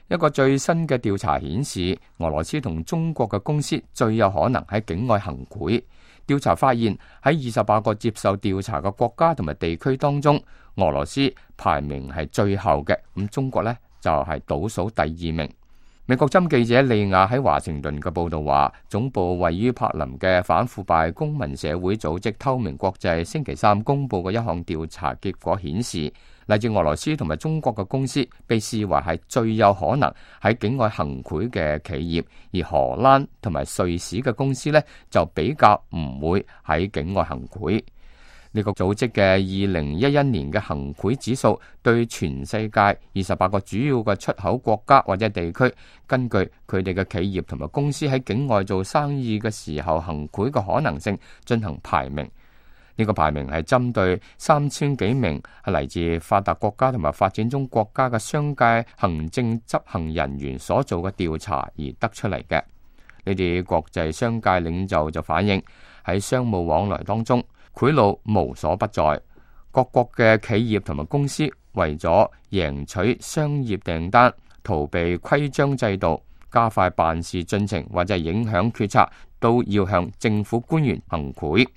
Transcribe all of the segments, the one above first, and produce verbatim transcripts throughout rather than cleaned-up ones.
一個最新嘅調查顯示，俄羅斯同中國嘅公司最有可能喺境外行賄。調查發現喺二十八個接受調查嘅國家同埋地區當中，俄羅斯排名係最後嘅，咁中國呢，就係倒數第二名。美國針記者利亞喺華盛頓嘅報道話，總部位於柏林嘅反腐敗公民社會組織透明國際星期三公布嘅一項調查結果顯示，嚟自俄羅斯同埋中國嘅公司被視為係最有可能喺境外行賄嘅企業，而荷蘭同埋瑞士嘅公司呢，就比較唔會喺境外行賄。呢個組織嘅二零一一年嘅行賄指數對全世界二十八個主要嘅出口國家或者地區，根據佢哋嘅企業同埋公司喺境外做生意嘅時候行賄嘅可能性進行排名。呢個排名係針對三千幾名係嚟自發達國家同埋發展中國家嘅商界行政執行人員所做嘅調查而得出嚟嘅。呢啲國際商界領袖就反映喺商務往來當中，賄賂無所不在，各國嘅企業同埋公司為咗贏取商業訂單，逃避規章制度，加快辦事進程或者影響決策，都要向政府官員行賄。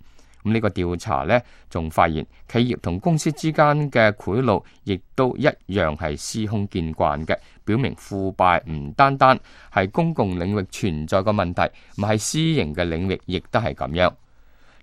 咁呢個調查呢，仲發現企業同公司之間嘅賄賂亦都一樣係司空見慣嘅，表明腐敗唔單單係公共領域存在嘅問題，唔係私營嘅領域亦都係咁樣。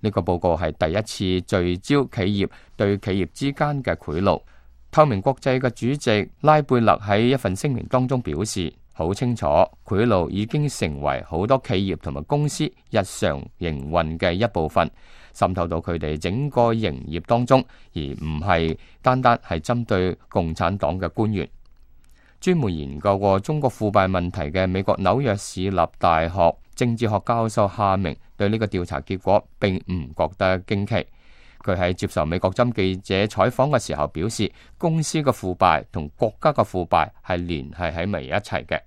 呢個報告係第一次聚焦企業對企業之間嘅賄賂。透明國際嘅主席拉貝勒喺一份聲明當中表示，好清楚賄賂已經成為好多企業同埋公司日常營運嘅一部分，滲透到佢哋整個營業當中，而唔係單單係針對共產黨嘅官員。專門研究過中國腐敗問題嘅美國紐約市立大學政治學教授夏明對呢個調查結果並唔覺得驚奇。佢喺接受美國針記者採訪嘅時候表示，公司嘅腐敗同國家嘅腐敗係聯繫喺埋一齊嘅。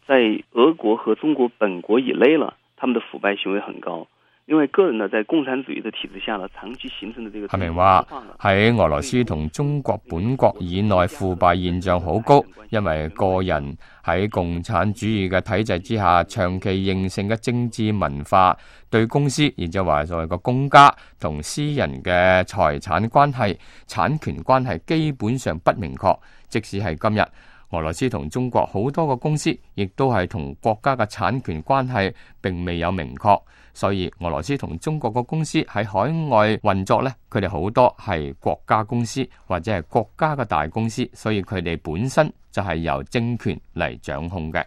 在俄國和中國本國以內了，他們的腐敗行為很高。因為個人呢，在共產主義的體制下呢，長期形成的這個。夏明話喺俄羅斯同中國本國以內腐敗現象好高，因為個人喺共產主義嘅體制之下，長期形成嘅政治文化，對公司，然之後話所謂個公家同私人嘅財產關係、產權關係基本上不明確。即使係今日，俄羅斯同中國好多個公司，亦都係同國家嘅產權關係並未有明確。所以俄羅斯同中國嘅公司喺海外運作呢，佢哋好多係國家公司或者係國家嘅大公司，所以佢哋本身就係由政權嚟掌控嘅。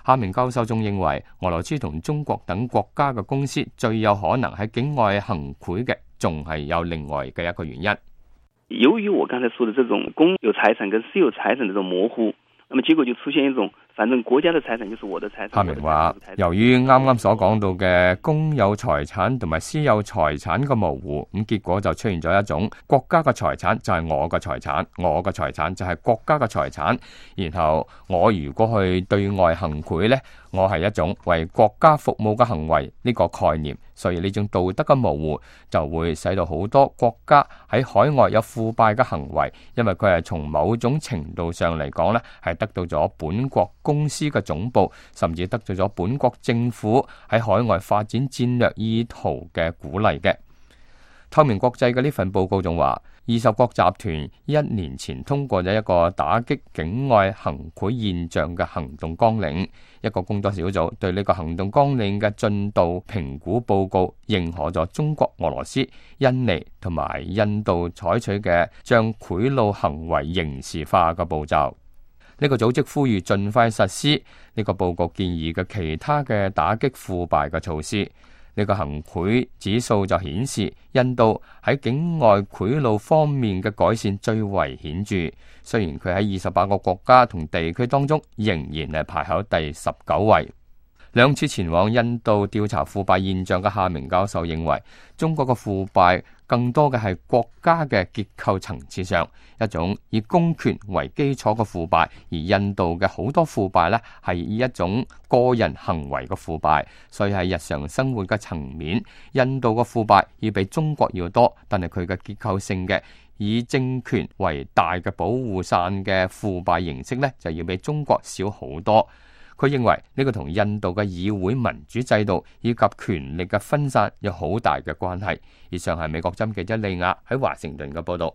夏明教授仲認為，俄羅斯同中國等國家嘅公司最有可能喺境外行賄嘅，仲係有另外嘅一個原因。由於我剛才說的這種公有財產跟私有財產的這種模糊，那麼結果就出現一種反正國家的財產就是我的財產。夏明話，由於啱啱所講到嘅公有財產同埋私有財產嘅模糊，咁結果就出現咗一種國家嘅財產就係我嘅財產，我嘅財產就係國家嘅財產。然後我如果去對外行賄呢，我係一種為國家服務嘅行為呢個概念，所以呢種道德嘅模糊就會使到好多國家喺海外有腐敗嘅行為，因為佢係從某種程度上嚟講呢，係得到咗本國公司嘅總部，甚至得到咗本國政府喺海外發展戰略意圖嘅鼓勵嘅。透明國際嘅呢份報告仲話，二十國集團一年前通過咗一個打擊境外行賄現象嘅行動綱領，一個工作小組對呢個行動綱領嘅進度評估報告認可咗中國、俄羅斯、印尼同埋印度採取嘅將賄賂行為刑事化嘅步驟。呢個組織呼籲盡快實施呢個報告建議嘅其他嘅打擊腐敗嘅措施。呢個行賄指數就顯示，印度喺境外賄賂方面嘅改善最為顯著。雖然佢喺二十八個國家同地區當中仍然係排喺第十九位。兩次前往印度調查腐敗現象嘅夏明教授認為，中國嘅腐敗更多嘅係國家嘅結構層次上一種以公權為基礎嘅腐敗，而印度嘅好多腐敗呢係以一種個人行為嘅腐敗，所以喺日常生活嘅層面，印度嘅腐敗要比中國要多，但係佢嘅結構性嘅以政權為大嘅保護傘嘅腐敗形式呢，就要比中國少好多。佢認為呢個同印度嘅議會民主制度以及權力嘅分散有好大嘅關係。以上係美國之音記者利亞喺華盛頓嘅報道。